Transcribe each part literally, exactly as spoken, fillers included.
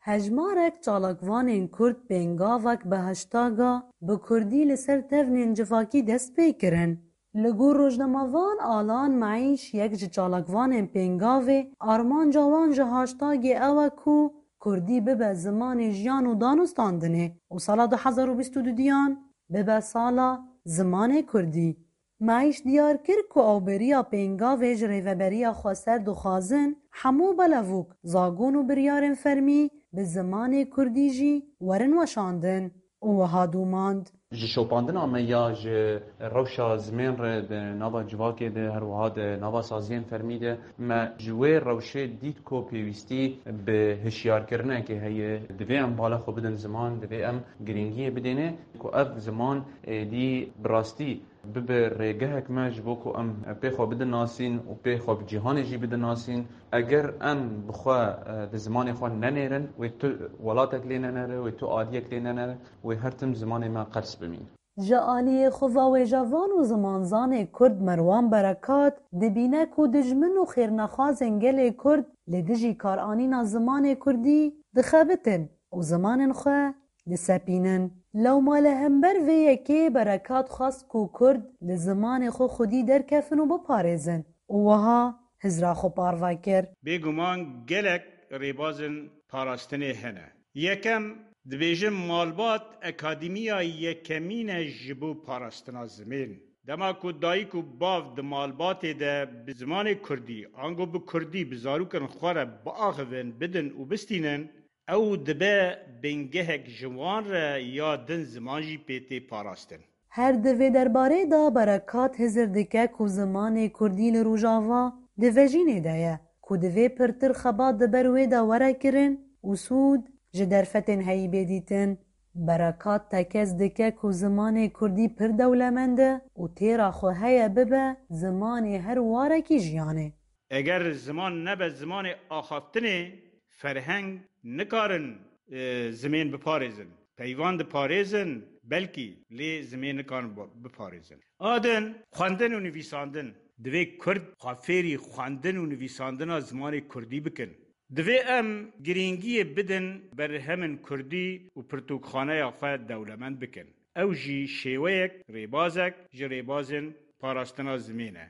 Hejmarek çalakvanên Kurd pêngavek bi hashtaga bi Kurdî li ser tevnên civakî dest pê kirin. Li gor rojnamevan Alan Meîş, yek ji çalakvanên pêngavê, armanca wan ji hashtagê ew e ku Kurdî bibe zimanê jiyan û danûstandinê û sala du hezar û bîst û duyan bibe sala zimanê Kurdî. Meîş diyar kir ku ew beriya pêngavê ji Rêveberiya Xweser dixwazin hemû belevok, zagon û biryarên fermî bi zimanê Kurdî jî werin weşandin û wiha domand. Ji şopandina me ya ji rewşa zimên re di nava civakê de, her wiha di nava saziyên fermî de, me ji wê rewşê dît ku pêwîstî bi hişyarkirinekê heye. Divê em bala xwe bidin ziman, divê em girîngiyê bidêne ku ev ziman êdî bi rastî bibe rêgehek me ji bo ku em pê xwe bidin nasîn û pê xwe bi cîhanê jî bidin nasîn. Eger em bi xwe, e, di zimanê xwe nenêrin, wê tu welatek lê nenere, wê tu aliyek lê nenere, wê her tim zimanê me qels bimîne. Ji aliyê xwe ve wêjevan û zimanzanê Kurd Merwan Berekat dibîne ku dijmin û xêrnexwazên gelê Kurd li dijî karanîna zimanê Kurdî dixebitin û zimanên xwe disepînin. Lewma li hember vê yekê Berekat xwest ku Kurd li zimanê xwe xwedî derkevin û biparêzin û wiha hizra xwe parve kir. Bêguman gelek rêbazên parastinê hene. Yekem, dibêjin malbat akademiya yekemîn e ji bo parastina zimên. Dema ku dayik û bav di malbatê de bi zimanê kurdî, ango bi kurdî bi zarokên xwe re biaxivin, bidin û bistînin, ew dibe bingehek ji wan re ya din ziman jî pê tê parastin. Her di vê derbarê de Berekat hizir dike ku zimanê kurdî li Rojava di vejînê de ye, ku divê pirtir xebat di ber wê de were kirin û sûd ji derfetên heyî bê dîtin. Berekat tekez dike ku zimanê kurdî pir dewlemend e û têra xwe heye bibe zimanê her warekî jiyanê. Eger ziman nebe zimanê axaftinê, ferheng nikarin, e, zimên biparêzin. Peyvan diparêzin, belkî, lê zimên nikarin bo-, biparêzin. A din, xwendin û nivîsandin. Divê Kurd xwe fêrî xwendin û nivîsandina zimanê kurdî bikin. Divê em girîngiyê bidin berhemên kurdî û pirtûkxaneya xwe dewlemend bikin. Ew jî şêweyek, rêbazek ji rêbazên parastina zimên e.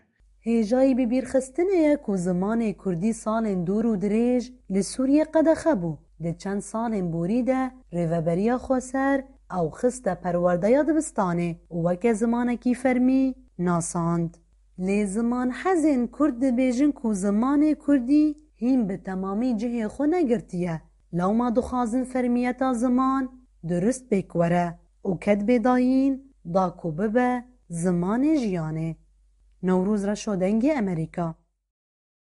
Hêjayî bibîrxistinê ye ku zimanê kurdî salên dûr û dirêj li Sûriyê qedexe bû. Di çend salên borî de Rêveberiya Xweser ew xiste perwerdeya dibistanê û weke zimanekî fermî nasand. Lê zimanhezên Kurd dibêjin ku zimanê kurdî hîn bi temamî cihê xwe negirtiye. Lewma dixwazin fermiyeta ziman durist pêk were û ket bê dayîn da ku bibe zimanê jiyanê. Newroz Reşo, Dengê Emerîka.